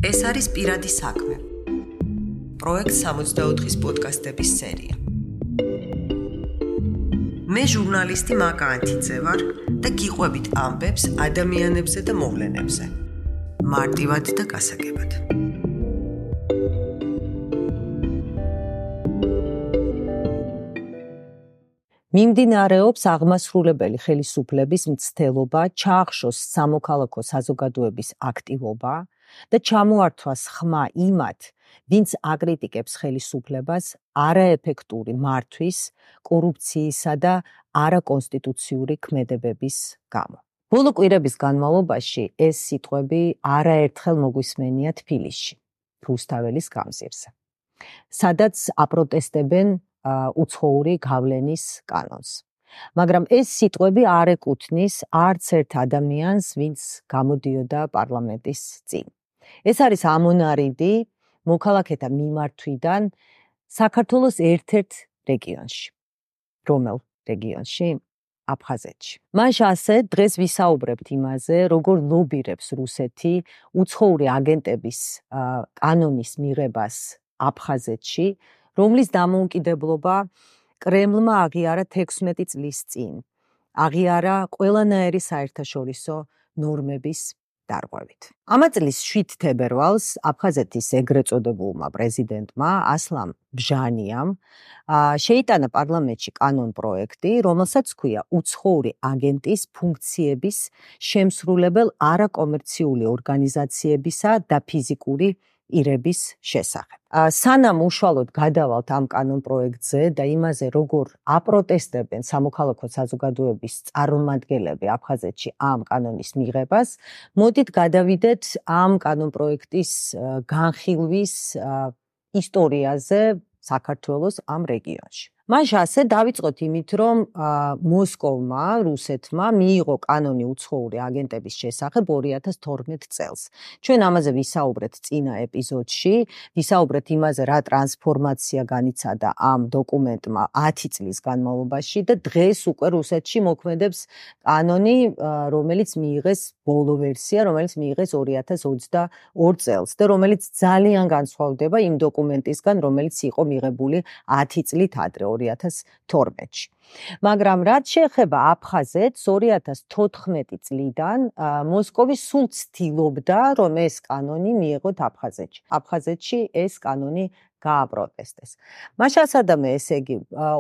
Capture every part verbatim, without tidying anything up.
ეს არის პირადი საქმე. პროექტ სამოცდაოთხის პოდკასტების სერია. მე ჟურნალისტი მაკა ანთიძე ვარ და გიყვებით ამბებს ადამიანებზე და მოვლენებზე. მარტივად და გასაგებად. მიმდინარეობს აღმასრულებელი ხელისუფლების მცდელობა ჩაახშოს სამოქალაქო საზოგადოების აქტივობა და ჩამოართვას ხმა იმათ, ვინც აკრიტიკებს ხელისუფლებას არაეფექტური მართვის, კორუფციისა და არაკონსტიტუციური ქმედებების გამო. ბოლო კვირების განმავლობაში ეს სიტყვები არაერთხელ მოგვისმენია თბილისში, რუსთაველის გამზირზე, სადაც აპროტესტებენ უცხოური გავლენის კანონს. მაგრამ ეს სიტყვები არ ეკუთვნის არც ერთ ადამიანს, ვინც გამოდიოდა პარლამენტის წინ. ეს არის ამონარიდი მოქალაქეთა მიმართვიდან საქართველოს ერთ-ერთ რეგიონში. რომელ რეგიონში? აფხაზეთში. მაშ ასე დღეს ვისაუბრებთ იმაზე, როგორ ლობირებს რუსეთი უცხოური აგენტების კანონის მიღებას აფხაზეთში, რომლის დამოუკიდებლობა კრემლმა აღიარა თექვსმეტი წლის წინ, აღიარა ყველანაირი საერთაშორისო ნორმების დარღვევით. ამა წლის შვიდ თებერვალს აფხაზეთის ეგრეთ წოდებულმა პრეზიდენტმა ასლან ბჟანიამ შეიტანა პარლამენტში კანონ პროექტი, რომელსაც ჰქვია უცხოური აგენტის ფუნქციების შემსრულებელ არაკომერციული ორგანიზაციებისა და ფიზიკური პირების შესახებ. სანამ უშუალოდ გადავალთ ამ კანონ პროექტზე და იმაზე, როგორ აპროტესტებენ სამოქალაქო საზოგადოების წარმომადგენლები აფხაზეთში ამ კანონის მიღებას, მოდით გადავიდეთ ამ კანონ პროექტის განხილვის ისტორიაზე საქართველოს ამ რეგიონში. მაშ ასე დავიწყოთ იმით, რომ მოსკოვმა, რუსეთმა მიიღო კანონი უცხოური აგენტების შესახებ ორი ათას თორმეტ წელს. ჩვენ ამაზე ვისაუბრეთ წინა ეპიზოდში, ვისაუბრეთ იმაზე, რა ტრანსფორმაცია განიცადა ამ დოკუმენტმა ათი წლის განმავლობაში და დღეს უკვე რუსეთში მოქმედებს კანონი, რომელიც მიიღეს ბოლო ვერსია, რომელიც მიიღეს ორი ათას ოცდაორ წელს და რომელიც ძალიან განსხვავდება იმ დოკუმენტისგან, რომელიც იყო მიღებული ათი წლით ადრე. ორი ათას თორმეტში. მაგრამ რაც შეეხება აფხაზეთს, ორი ათას თოთხმეტი წლიდან მოსკოვი სულ ცდილობდა, რომ ეს კანონი მიიღოთ აფხაზეთში. აფხაზეთში ეს კანონი გააპროტესტეს. მაშასადამე, ესე იგი,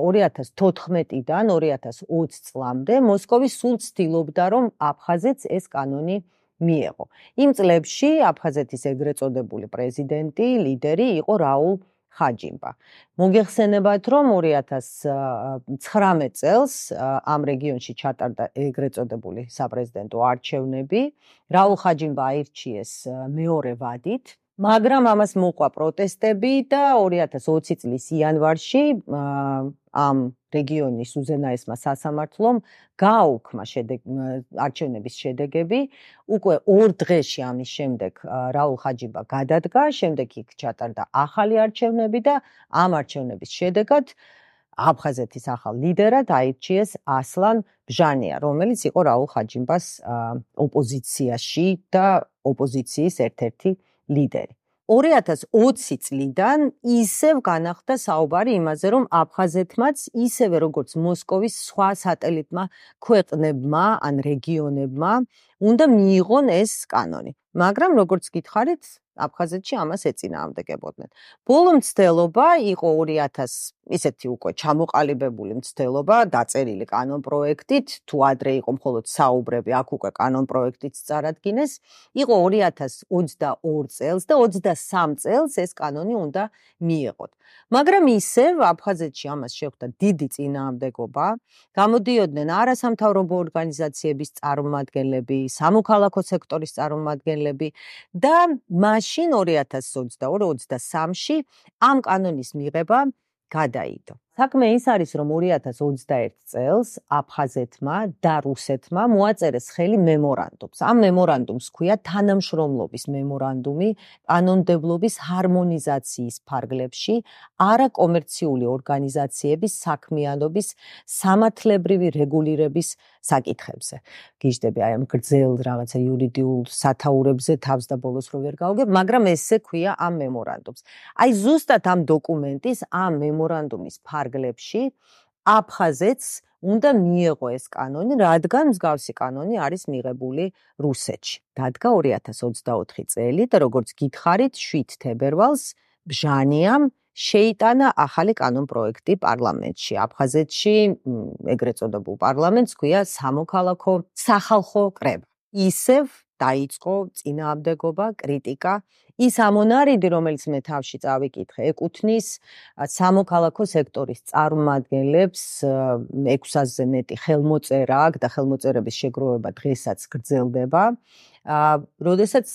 ორი ათას თოთხმეტიდან ორი ათას ოცი წლამდე მოსკოვი სულ ცდილობდა, რომ აფხაზეთს ეს კანონი მიეღო. იმ წლებში აფხაზეთის ეგრეთ წოდებული პრეზიდენტი, ლიდერი იყო რაულ ხაჯიმბა. მოგეხსენებათ, რომ ორი ათას ცხრამეტ წელს ამ რეგიონში ჩატარდა ეგრეთ წოდებული საპრეზიდენტო არჩევნები. რაულ ხაჯიმბა აირჩიეს მეორე ვადით, მაგრამ ამას მოყვა პროტესტები და ორი ათას ოცი წლის იანვარში ამ რეგიონის უზენაესმა სასამართლომ გააუქმა არჩევნების შედეგები. უკვე ორ დღეში ამის შემდეგ რაულ ხაჯიმბა გადადგა, შემდეგ იქ ჩატარდა ახალი არჩევნები და ამ არჩევნების შედეგად აფხაზეთის ახალ ლიდერად აირჩიეს ასლან ბჟანია, რომელიც იყო რაულ ხაჯიმბას ოპოზიციაში და ოპოზიციის ერთ-ერთი ლიდერი. ორი ათას ოცი წლიდან ისევ განახდა საუბარი იმაზე, რომ აფხაზეთმაც ისევე როგორც მოსკოვის სხვა სატელიტმა ქვეყნებმა ან რეგიონებმა უნდა მიიღონ ეს კანონი. მაგრამ როგორც გითხარით, აფხაზეთში ამას ეწინააღმდეგებოდნენ. ბოლო მცდელობა იყო ორი ათას ისეთი უკვე ჩამოყალიბებული მცდელობა, დაწერილი კანონ პროექტით, თუ ადრე იყო მხოლოდ საუბრები, აქ უკვე კანონ პროექტით წარადგინეს, იყო ორი ათას ოცდაორ წელს და ოცდასამ წელს ეს კანონი უნდა მიეღოთ. მაგრამ ისევ აფხაზეთში ამას შეხვდა დიდი წინააღმდეგობა, გამოდიოდნენ არასამთავრობო ორგანიზაციების წარმომადგენლები, სამოქალაქო სექტორის წარმომადგენლები და მაშინ ორი ათას ოცდაორ ოცდასამში ამ კანონის მიღება გადაიდო. საქმე ის არის, რომ ორი ათას ოცდაერთი წელს აფხაზეთმა და რუსეთმა მოაწერეს ხელი მემორანდუმს. ამ მემორანდუმს ჰქვია თანამშრომლობის მემორანდუმი კანონმდებლობის ჰარმონიზაციის ფარგლებში არაკომერციული ორგანიზაციების საქმიანობის სამართლებრივი რეგულირების საკითხებზე. გიждები აი ამ გრძელ რაღაცა იურიდიულ სათაურებზე თავს და ბოლოს რო ვერ გავგებ, მაგრამ ესე ქვია ამ მემორანდუმს. აი ზუსტად ამ დოკუმენტის, ამ მემორანდუმის ფარგლებში აფხაზეთს უნდა მიეღო ეს კანონი, რადგან მსგავსი კანონი არის მიღებული რუსეთში. დადგა ორი ათას ოცდაოთხი წელი და როგორც გითხარით, შვიდ თებერვალს ბჟანიამ შეიტანა ახალი კანონპროექტი პარლამენტში. აფხაზეთში ეგრეთ წოდებულ პარლამენტს ჰქვია სამოქალაქო სახალხო კრება. ისევ დაიწყო წინააღმდეგობა, კრიტიკა. ის ამონარიდი, რომელიც მე თავში წავიკითხე, ეკუთვნის სამოქალაქო სექტორის წარმომადგენლებს, ექვს ათასზე მეტი ხელმოწერა აქვს და ხელმოწერების შეგროვება დღესაც გრძელდება. როდესაც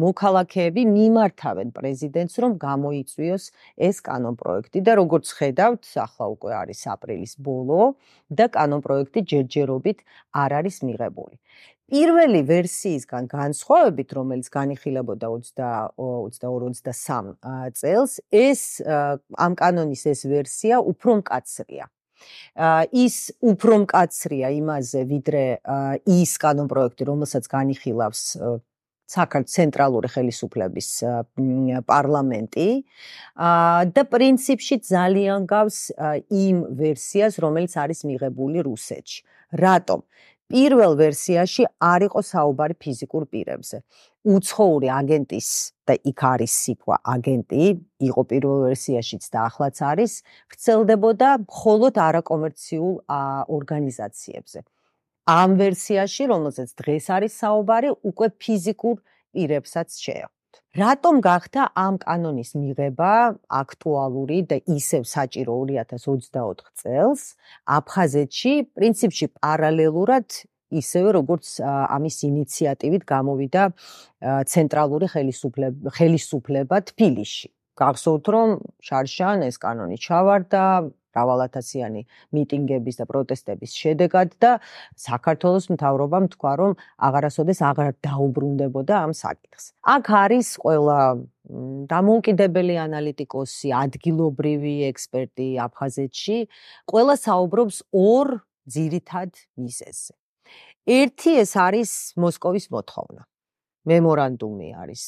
მოქალაქეები მიმართავენ პრეზიდენტს, რომ გამოიწვიოს ეს კანონპროექტი და როგორც ხედავთ, ახლა უკვე არის აპრილის ბოლო და კანონპროექტი ჯერჯერობით არ არის მიღებული. პირველი ვერსიისგან განსხვავებით, რომელიც განიხილებოდა ოცდაორი ოცდასამი წელს, ეს ამ კანონის ეს ვერსია უფრო მკაცრია. ის უფრო მკაცრია იმაზე, ვიდრე ის კანონპროექტი, რომელსაც განიხილავს საქართველოს ცენტრალური ხელისუფლების პარლამენტი და პრინციპში ძალიან გავს იმ ვერსიას, რომელიც არის მიღებული რუსეთში. რატომ? პირველ ვერსიაში არ იყო საუბარი ფიზიკურ პირებზე. უცხოური აგენტის და იქ არის სიტყვა აგენტი, იყო პირველ ვერსიაშიც და ახლაც არის, ვრცელდებოდა მხოლოდ არაკომერციულ ორგანიზაციებზე. ამ ვერსიაში, რომელზეც დღეს არის საუბარი, უკვე ფიზიკურ პირებსაც შეეხვთ. რატომ გახდა ამ კანონის მიღება აქტუალური და ისევ საჭირო ორი ათას ოცდაოთხი წელს აფხაზეთში, პრინციპში პარალელურად ისევე როგორც ამის ინიციატივით გამოვიდა ცენტრალური ხელისუფლება თბილისში. გახსოვთ, რომ შარშან ეს კანონი ჩავარდა მრავალათასიანი მიტინგების და პროტესტების შედეგად და საქართველოს მთავრობამ თქვა, რომ აღარასოდეს აღარ დაუბრუნდებოდა ამ საკითხს. აქ არის ყველა დამოუკიდებელი ანალიტიკოსი, ადგილობრივი ექსპერტი აფხაზეთში, ყველა საუბრობს ორ ძირითად მიზეზზე. ერთი ეს არის მოსკოვის მოთხოვნა. მემორანდუმი არის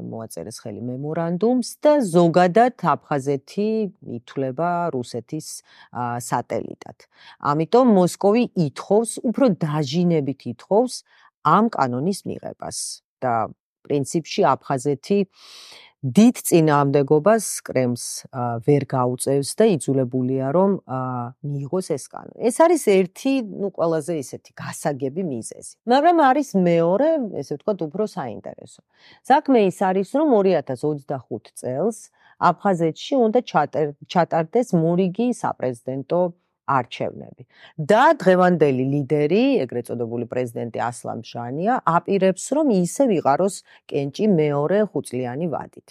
მოაწერეს ხელი მემორანდუმს და ზოგადად აფხაზეთი ითვლება რუსეთის სატელიტად. ამიტომ მოსკოვი ითხოვს, უფრო დაჟინებით ითხოვს ამ კანონის მიღებას და პრინციპში აფხაზეთი დიდ წინააღმდეგობას კრემლს ვერ გაუწევს და იძულებულია რომ მიიღოს ეს კანონი. ეს არის ერთი, ну, ყველაზე ისეთი გასაგები მიზეზი. მაგრამ არის მეორე, ესე ვთქვათ, უფრო საინტერესო. საქმე ის არის, რომ ორი ათას ოცდახუთი წელს აფხაზეთში უნდა ჩატარდეს მორიგი საპრეზიდენტო არჩევნები. და დღევანდელი ლიდერი, ეგრეთ წოდებული პრეზიდენტი ასლან ბჟანია, აპირებს, რომ ისე ვიყაროს კენჭი მეორე ხუთწლიანი ვადით.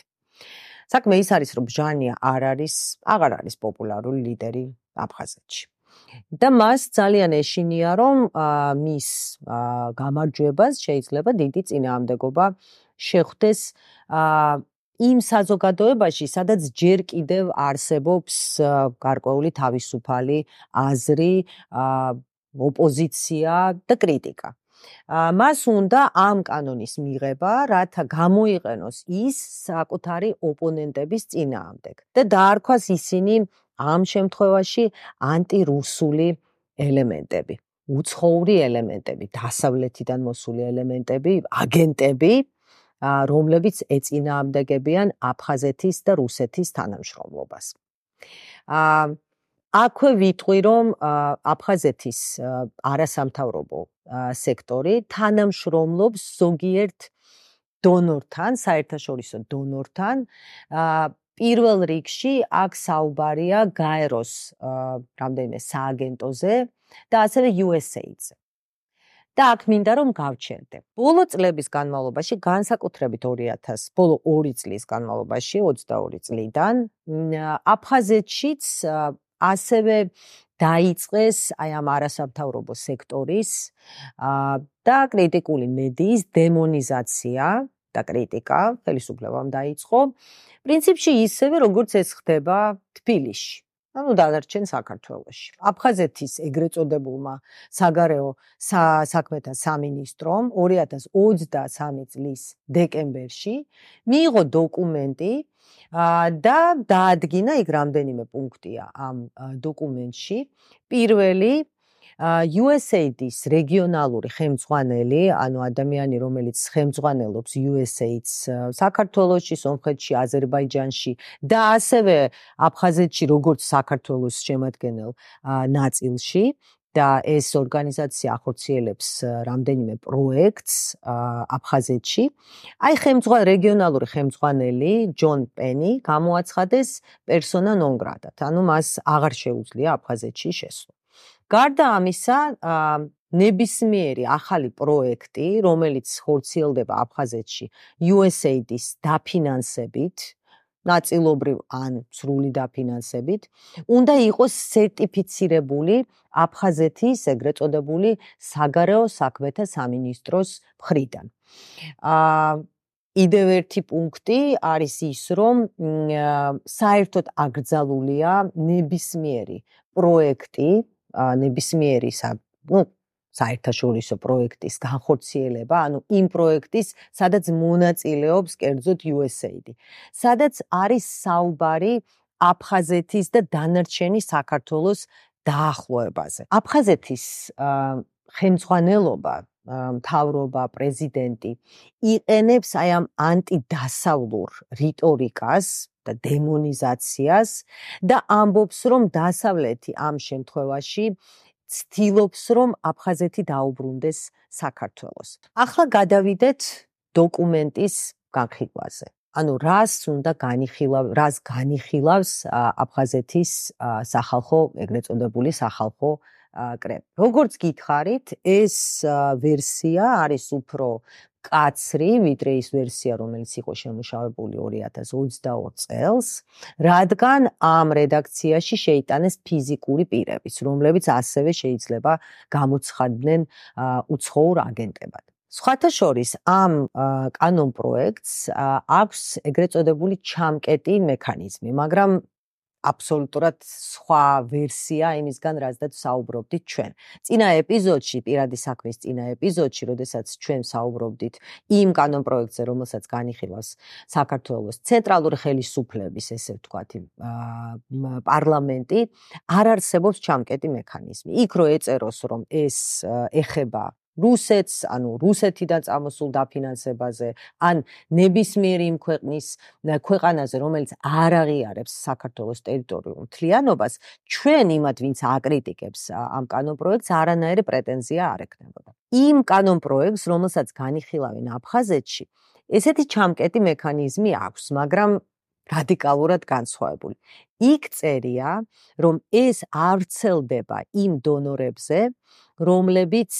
საქმე ის არის, რომ ბჟანია არ არის, აღარ არის პოპულარული ლიდერი აფხაზეთში. და მას ძალიან ეშინია, რომ მის გამარჯვებას შეიძლება დიდი წინააღმდეგობა შეხვდეს იმ საზოგადოებაში, სადაც ჯერ კიდევ არსებობს გარკვეული თავისუფალი აზრი, ოპოზიცია და კრიტიკა. მას უნდა ამ კანონის მიღება, რათა გამოიყენოს ის საკუთარი ოპონენტების წინააღმდეგ და დაარქვას ისინი ამ შემთხვევაში ანტირუსული ელემენტები, უცხოური ელემენტები, დასავლეთიდან მოსული ელემენტები, აგენტები, რომლებიც ეწინააღმდეგებიან აფხაზეთის და რუსეთის თანამშრომლობას. აქვე ვიტყვი, რომ აფხაზეთის არასამთავრობო სექტორი თანამშრომლობს ზოგიერთ დონორთან, საერთაშორისო დონორთან. პირველ რიგში აქ საუბარია გაეროს რამდენიმე სააგენტოზე და ასევე იუ ეს ეიდზე. და აქ მინდა რომ გავჩერდე. ბოლო წლების განმავლობაში, განსაკუთრებით ორი ათას, ბოლო ორი წლის განმავლობაში, ოცდაორი წლიდან, აფხაზეთშიც ასევე დაიწყეს აი ამ არასამთავრობო სექტორის და კრიტიკული მედიის დემონიზაცია და კრიტიკა ხელისუფლებამ დაიწყო. პრინციპში ისევე, როგორც ეს ხდება თბილისში. ანუ დანარჩენ საქართველოში. აფხაზეთის ეგრეთ წოდებულმა საგარეო საქმეთა სამინისტრომ ორი ათას ოცდასამი წლის დეკემბერში მიიღო დოკუმენტი და დაადგინა იქ რამდენიმე პუნქტია ამ დოკუმენტში. პირველი იუ ეს ეი დის რეგიონალური ხელმძღვანელი, ანუ ადამიანი, რომელიც ხელმძღვანელობს იუ ეს ეი-ს საქართველოში, სომხეთში, აზერბაიჯანში და ასევე აფხაზეთში, როგორც საქართველოს შემადგენელ ნაწილში და ეს ორგანიზაცია ახორციელებს რამდენიმე პროექტს აფხაზეთში. აი ხელმძღვანელი რეგიონალური ხელმძღვანელი ჯონ პენი გამოაცხადეს პერსონა ნონ გრატად, ანუ მას აღარ შეუძლია აფხაზეთში შესვლა. გარდა ამისა, ნებისმიერი ახალი პროექტი, რომელიც ხორციელდება აფხაზეთში იუ ეს ეი-ის დაფინანსებით, ნაწილობრივ ან სრული დაფინანსებით, უნდა იყოს სერტიფიცირებული აფხაზეთის ეგრეთ წოდებული საგარეო საქმეთა სამინისტროს მხრიდან. კიდევ ერთი პუნქტი არის ის, რომ საერთოდ აკრძალულია ნებისმიერი პროექტი, ნებისმიერი ნუ საერთაშორისო პროექტის განხორციელება, ანუ იმ პროექტის, სადაც მონაწილეობს კერძოდ იუ ეს ეი, სადაც არის საუბარი აფხაზეთის და დანარჩენი საქართველოს დაახლოებაზე. აფხაზეთის ხელმძღვანელობა, მთავრობა, პრეზიდენტი იყენებს აი ამ ანტიდასავლურ რიტორიკას და დემონიზაციას და ამბობს, რომ დასავლეთი ამ შემთხვევაში ცდილობს, რომ აფხაზეთი დაუბრუნდეს საქართველოს. ახლა გადავიდეთ დოკუმენტის განხილვაზე. ანუ რას უნდა განიხილავს, რას განიხილავს აფხაზეთის სახალხო, ეგრეთ წოდებული სახალხო კრება. როგორც გითხარით, ეს ვერსია არის უფრო კაცრი, ვიდრე ის ვერსია, რომელიც იყო შემუშავებული ორი ათას ოცდაორ წელს, რადგან ამ რედაქციაში შეიტანეს ფიზიკური პირებიც, რომლებიც ასევე შეიძლება გამოცხადდნენ უცხოურ აგენტებად. სხვათა შორის, ამ კანონპროექტს აქვს ეგრეთ წოდებული ჩამკეტი მექანიზმი, მაგრამ აბსოლუტურად სხვა ვერსია იმისგან, რაზეც საუბრობდით ჩვენ. წინა ეპიზოდში, პირადი საქმის წინა ეპიზოდში, როდესაც ჩვენ საუბრობდით იმ კანონპროექტზე, რომელსაც განიხილავს საქართველოს ცენტრალური ხელისუფლების, ესე ვთქვათ, პარლამენტი, არ არსებობს ჩამკეტი მექანიზმი. იქ რო ეწეროს, რომ ეს ეხება რუსეთს, ანუ რუსეთიდან წამოსულ დაფინანსებაზე, ან ნებისმიერი იმ ქვეყნის ქვეყანაზე, რომელიც არ აღიარებს საქართველოს ტერიტორიულ მთლიანობას, ჩვენ იმათ, ვინც აკრიტიკებს ამ კანონპროექტს, არანაირი პრეტენზია არ ექნებოდა. იმ კანონპროექტს, რომელსაც განიხილავენ აფხაზეთში, ესეთი ჩამკეტი მექანიზმი აქვს, მაგრამ რადიკალურად განსხვავებული. იქ წერია, რომ ეს არ ვრცელდება იმ დონორებზე, რომლებიც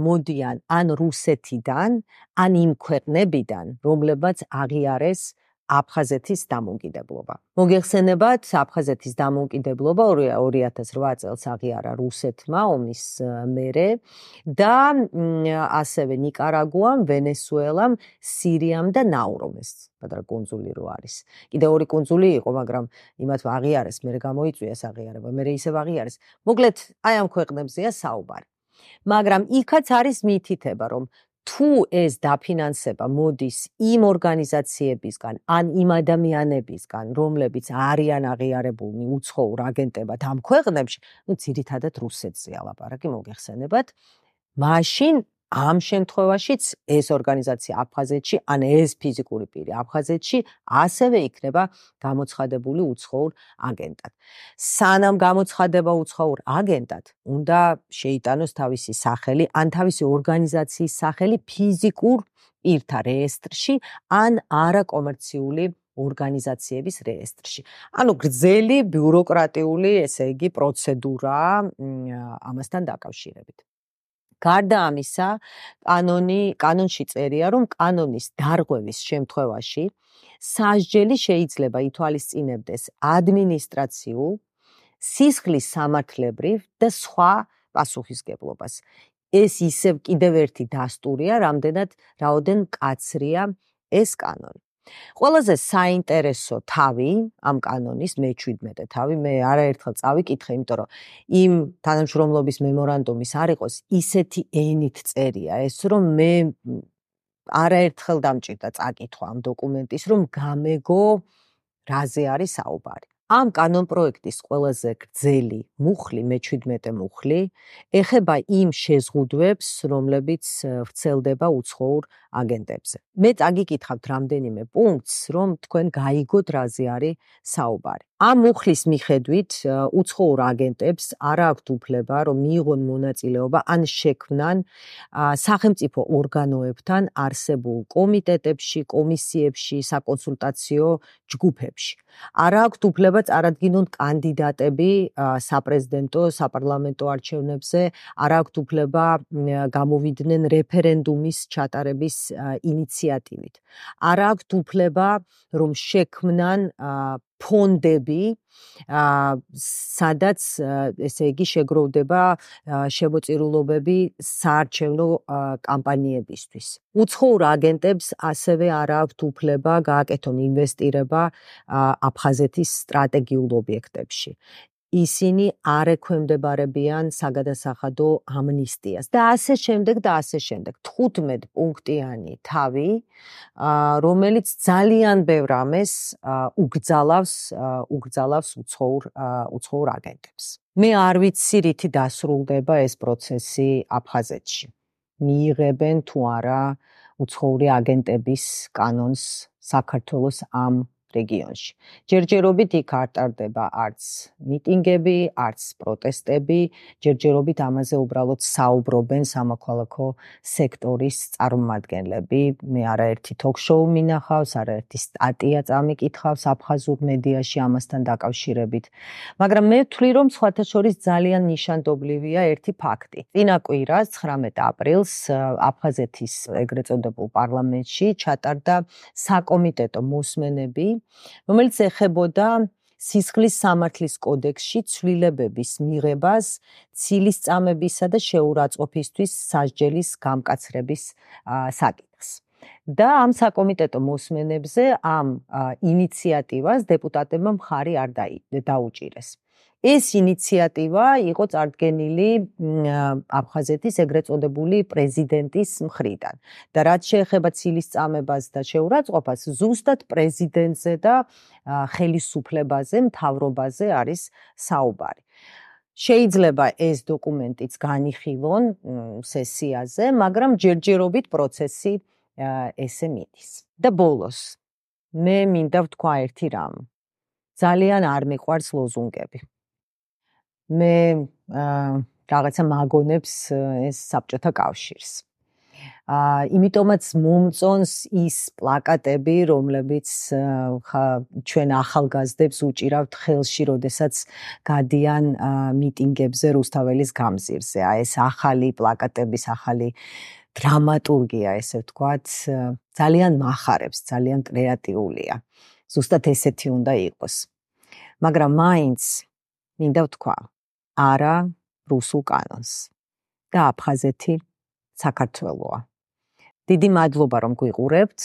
მოდიან ან რუსეთიდან, ან იმ ქვეყნებიდან, რომლებაც აღიარეს აფხაზეთის დამოუკიდებლობა. მოგეხსენებათ, აფხაზეთის დამოუკიდებლობა ორი ათას რვა წელს აღიარა რუსეთმა ომის მერე და ასევე ნიკარაგუამ, ვენესუელამ, სირიამ და ნაურომ, ეს პატარა კუნძული რო არის. კიდევ ორი კუნძული იყო, მაგრამ იმათ აღიარეს, მერე გამოიწვიეს აღიარება, მერე ისევ აღიარეს. მოკლედ, აი ამ ქვეყნებზეა საუბარი. მაგრამ იქაც არის მითითება, რომ თუ ეს დაფინანსება მოდის იმ ორგანიზაციებისგან, ან იმ ადამიანებისგან, რომლებიც არიან აღიარებულნი უცხოურ აგენტებად ამ ქვეყნებში, ну, ძირითადად რუსეთზეა ლაპარაკი, მოგეხსენებათ, მაშინ ამ შემთხვევაშიც ეს ორგანიზაცია აფხაზეთში, ან ეს ფიზიკური პირი აფხაზეთში ასევე იქნება გამოცხადებული უცხოურ აგენტად. სანამ გამოცხადება უცხოურ აგენტად, უნდა შეიტანოს თავისი სახელი, ან თავისი ორგანიზაციის სახელი ფიზიკურ პირთა რეესტრში, ან არაკომერციული ორგანიზაციების რეესტრში. ანუ გრძელი ბიუროკრატიული, ესე იგი, პროცედურა ამასთან დაკავშირებით. გარდა ამისა, კანონი, კანონში წერია, რომ კანონის დარღვევის შემთხვევაში სასჯელი შეიძლება ითვალისწინებდეს ადმინისტრაციულ სისხლის სამართლებრივ და სხვა პასუხისგებლობას. ეს ისევ კიდევ ერთი დასტურია, რამდენად რაოდენ მკაცრია ეს კანონი. ყველაზე საინტერესო თავი ამ კანონის მეჩვიდმეტე თავი, მე არაერთხელ წავიკითხე, იმიტომ რომ იმ თანამშრომლობის მემორანდუმის არ იყოს ისეთი ენით წერია ეს, რომ მე არაერთხელ დამჭირდა წაკითხვა ამ დოკუმენტის, რომ გამეგო რაზე არის საუბარი. ამ კანონ პროექტის ყველაზე გრძელი მუხლი, მეჩვიდმეტე მუხლი, ეხება იმ შეზღუდვებს, რომლებიც ვრცელდება უცხოურ აგენტებზე. მე წაგიკითხავთ რამდენიმე პუნქტს, რომ თქვენ გაიგოთ რაზე არის საუბარი. ამ მუხლის მიხედვით უცხოურ აგენტებს არ აქვთ უფლება, რომ მიიღონ მონაწილეობა ან შექმნან სახელმწიფო ორგანოებთან არსებულ კომიტეტებში, კომისიებში, საკონსულტაციო ჯგუფებში. არ აქვთ უფლება წარადგინონ კანდიდატები საპრეზიდენტო, საპარლამენტო არჩევნებზე, არ აქვთ უფლება გამოვიდნენ რეფერენდუმის ჩატარების ინიციატივით. არ აქვთ უფლება, რომ შექმნან ფონდები, სადაც ესე იგი შეგროვდება შემოწირულობები საარჩევნო კამპანიებისთვის. უცხოურ აგენტებს ასევე არ აქვთ უფლება გააკეთონ ინვესტირება აფხაზეთის სტრატეგიულ ობიექტებში. ისინი არ ექვემდებარებიან საგადასახადო ამნისტიას და ასე შემდეგ და ასე შემდეგ. თხუთმეტ პუნქტიანი თავი, რომელიც ძალიან ბევრ ამეს უგრძალავს, უგრძალავს უცხოურ უცხოურ აგენტებს. მე არ ვიცი რითი დასრულდება ეს პროცესი აფხაზეთში. მიიღებენ თუ არა უცხოური აგენტების კანონს საქართველოს ამ რეგიონში. ჯერჯერობით იქ არ ტარდება არც მიტინგები, არც პროტესტები, ჯერჯერობით ამაზე უბრალოდ საუბრობენ სამოქალაქო სექტორის წარმომადგენლები. მე არაერთი ток-შოუ მინახავს, არაერთი სტატია წამიკითხავს აფხაზურ მედიაში ამასთან დაკავშირებით. მაგრამ მე ვთვლი, რომ სხვათა შორის ძალიან ნიშანდობლივია ერთი ფაქტი. წინა კვირას ცხრამეტ აპრილს აფხაზეთის ეგრეთ წოდებულ პარლამენტში ჩატარდა საკომიტეტო მოსმენები, რომელიც ეხებოდა სისხლის სამართლის კოდექსში ცვლილებების მიღებას ცილისწამებისა და შეურაცხყოფისთვის სასჯელის გამკაცრების საკითხს. და ამ საკომიტეტო მოსმენებზე ამ ინიციატივას დეპუტატებმა მხარი არ დაუჭირეს. ეს ინიციატივა იყო წარდგენილი აფხაზეთის ეგრეთ წოდებული პრეზიდენტის მხრიდან და რაც შეეხება ცილისწამებას და შეურაცხყოფას, ზუსტად პრეზიდენტზე და ხელისუფლებაზე, მთავრობაზე არის საუბარი. შეიძლება ეს დოკუმენტიც განიხილონ სესიაზე, მაგრამ ჯერჯერობით პროცესი ესე მიდის. და ბოლოს, მე მინდა ვთქვა ერთი რამ. ძალიან არ მიყვარს ლოზუნგები. მე რაღაცა მაგონებს ეს საბჭოთა კავშირს. იმიტომაც მომწონს ის პლაკატები, რომლებიც ჩვენ ახალგაზრდებს უჭირავთ ხელში, როდესაც გადიან მიტინგებზე რუსთაველის გამზირზე. აი ეს ახალი პლაკატების ახალი დრამატურგია, ესე ვთქვათ, ძალიან მახარებს, ძალიან კრეატიულია. ზუსტად ესეთი უნდა იყოს. მაგრამ მაინც მინდა ვთქვა, არა რუსულ კანონს და აფხაზეთი საქართველოა. დიდი მადლობა რომ გვიყურებთ,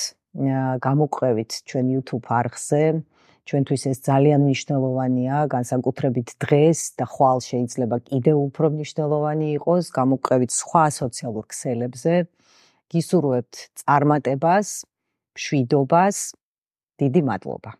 გამოგვყევით ჩვენ YouTube არხზე, ჩვენთვის ეს ძალიან მნიშვნელოვანია, განსაკუთრებით დღეს და ხვალ შეიძლება კიდევ უფრო მნიშვნელოვანი იყოს, გამოგვყევით სხვა სოციალურ ქსელებზე. გისურვებთ წარმატებას, მშვიდობას, დიდი მადლობა.